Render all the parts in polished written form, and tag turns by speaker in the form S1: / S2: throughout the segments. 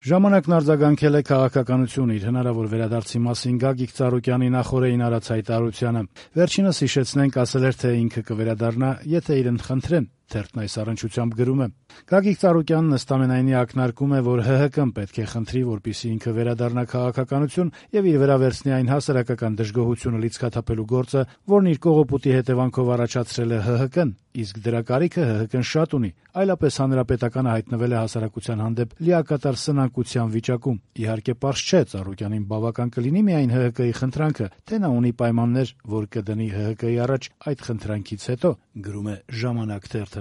S1: Ժամանակն արձագանքել է քաղաքականություն իր հնարավոր վերադարձի մասին Գագիկ Ծառուկյանի նախօրեին արած հայտարարությանը։ Վերջինս հիշեցնենք ասել էր, թե ինքը կվերադառնա, եթե իրեն խնդրեն։ Թերթն այս առնչությամբ գրում է. Գագիկ Ծառուկյանն ըստամենայնի ակնարկում է, որ ՀՀԿ-ն պետք է խնդրի, որպեսզի ինքը վերադառնա քաղաքականություն եւ իր վրա վերցնի այն հասարակական դժգոհությունը լիցքաթափելու գործը, որն իր կողոպուտի հետևանքով առաջացրել է ՀՀԿ-ն, իսկ դրա կարիքը ՀՀԿ-ն շատ ունի, այլապես հանրապետականը հայտնվել է հասարակության հանդեպ լիակատար սնանկության վիճակում։ Իհարկե պարզ չէ, Ծառուկյանին բավական կլինի միայն ՀՀԿ-ի խնդրանքը, թե նա ունի պայմաններ, որ կդնի ՀՀԿ-ի առաջ այդ խնդրանքից հետո, գրում է «Ժամանակ» թերթը։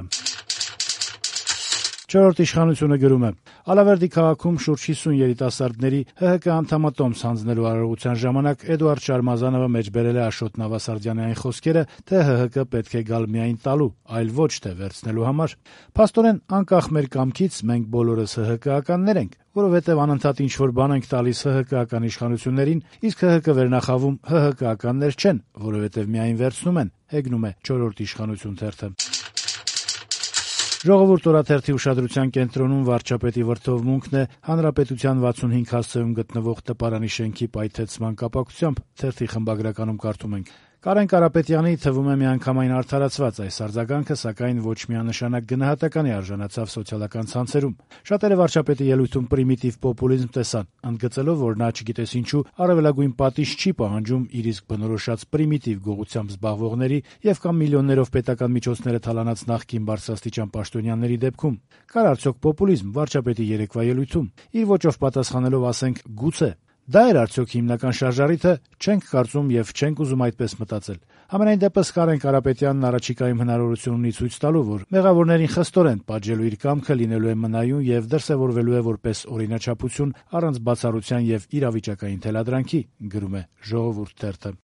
S1: Չորրորդ իշխանությունը գրում է. Ալավերդի քաղաքում շուրջ 50 երիտասարդների ՀՀԿ անդամատոմս հանձնելու արարողության ժամանակ Էդուարդ Շարմազանովը մեջբերել է Աշոտ Նավասարդյանի այն խոսքերը, թե ՀՀԿ պետք է գալ միայն տալու, այլ ոչ թե վերցնելու համար։ Փաստորեն, անկախ մեր կամքից մենք բոլորս ՀՀԿ-ականներ ենք, որովհետև անընդհատ ինչ-որ բան ենք տալիս ՀՀԿ-ական իշխանություններին, իսկ ՀՀԿ վերնախավում ՀՀԿ-ականներ չեն, որովհետև միայն վերցնում են, հեգնում է չորրորդ իշխանություն թերթը։ Ժողովուրդ օրաթերթի ուշադրության կենտրոնում վարչապետի վրդովմունքն է հանրապետության 65 հասցեում գտնվող տպարանի շենքի պայթեցման կապակցությամբ, թերթի խմբագրականում կարդում ենք. Կարեն Կարապետյանի թվում է միանգամայն արդարացված այս արձագանքը, սակայն ոչ միանշանակ գնահատականի արժանացավ սոցիալական ցանցերում։ Շատերը վարչապետի ելույթում պրիմիտիվ պոպուլիզմ տեսան, ընդգծելով, որ նա չգիտես ինչու առավելագույն պատիժ չի պահանջում իր իսկ բնորոշած պրիմիտիվ գողությամբ զբաղվողների եւ կամ միլիոններով պետական միջոցները թալանած նախկին բարձրաստիճան պաշտոնյաների դեպքում։ Կար արդյոք պոպուլիզմ վարչապետի երեկվա ելույթում։ Իր ոճով պատասխանելով ասենք գուցե։ Դա էր արդյոք հիմնական շարժառիթը, չենք կարծում եւ չենք ուզում այդպես մտածել։ Համենայն դեպս Կարեն Կարապետյանն առաջիկայում հնարավորություն ունի ցույց տալու, որ մեղավորներին խստորեն պատժելու իր կամքը լինելու է մնայուն եւ դրսեւորվելու է որպես օրինաչափություն առանց բացառության եւ իրավիճակային թելադրանքի, գրում է Ժողովուրդ թերթը։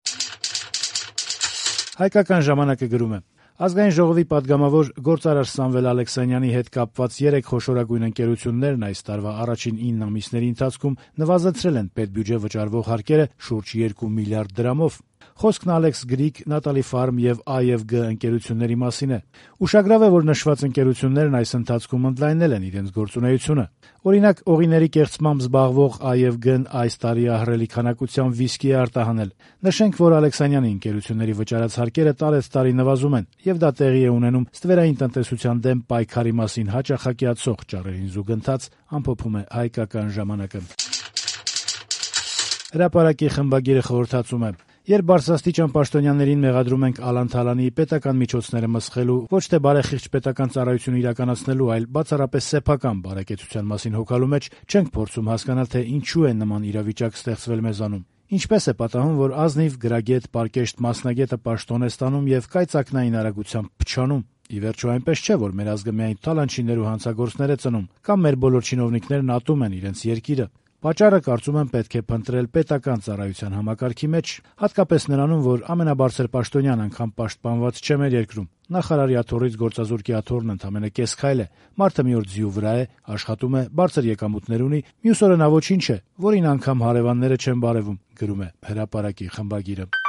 S1: Հայկական ժամանակը գրում է. Ազգային ժողովի падգամավոր գործարար Սամվել Ալեքսանյանի հետ կապված 3 խոշորագույն ընկերություններն այս տարվա առաջին 9 ամիսների ընթացքում նվազեցրել են պետբյուջե վճարվող հարկերը շուրջ 2 միլիարդ դրամով։ Խոսքն Alex Greek, Natalie Farm եւ IFG ընկերությունների մասին է։ Ուշագրավ է, որ նշված ընկերություններն այս ընթացքում ընդլայնել են իրենց գործունեությունը։ Օրինակ, օղիների կեղծմամբ զբաղվող IFG-ն այս տարի ահռելի քանակությամբ վիսկի է արտահանել։ Նշենք, որ Ալեքսանյանի ընկերությունների վճարած հարկերը տարեցտարի նվազում են, եւ դա տեղի է ունենում ստվերային տնտեսության դեմ պայքարի մասին հաճախակիացող ճառերին զուգընթաց, ամփոփում է Հայկական ժամանակը։ Հրապարակի խմբագիրը խորհրդածում է. Երբ բարձրաստիճան պաշտոնյաներին մեղադրում ենք Ալան Թալանի պետական միջոցները մսխելու, ոչ թե բարեխիղճ պետական ծառայություն իրականացնելու, այլ բացառապես սեփական բարեկեցության մասին հոգալու մեջ, չենք փորձում հասկանալ, թե ինչու է նման իրավիճակ ստեղծվել մեզանում։ Ինչպես է պատահում, որ ազնիվ գրագետ, պարկեշտ մասնագետը պաշտոն է ստանում եւ կայծակնային արագությամբ փչանում։ Ի վերջո այնպես չէ, որ մեր ազգը միայն թալանչիներ ու հանցագործներ է ծնում, կամ մեր բոլոր չինովնիկներն ատում են իրենց երկիրը։ Պատճառը, կարծում եմ, պետք է փնտրել պետական ծառայության համակարգի մեջ, հատկապես նրանում, որ ամենաբարձր պաշտոնյան անգամ պաշտպանված չէ մեր երկրում։ Նախարարի աթոռից գործազուրկի աթոռն ընդամենը կես քայլ է։ Մարդը մի օր ձիու վրա է, աշխատում է, բարձր եկամուտներ ունի, մյուս օրը նա ոչինչ է, որին անգամ հարևանները չեն բարևում, գրում է Հրապարակի խմբագիրը։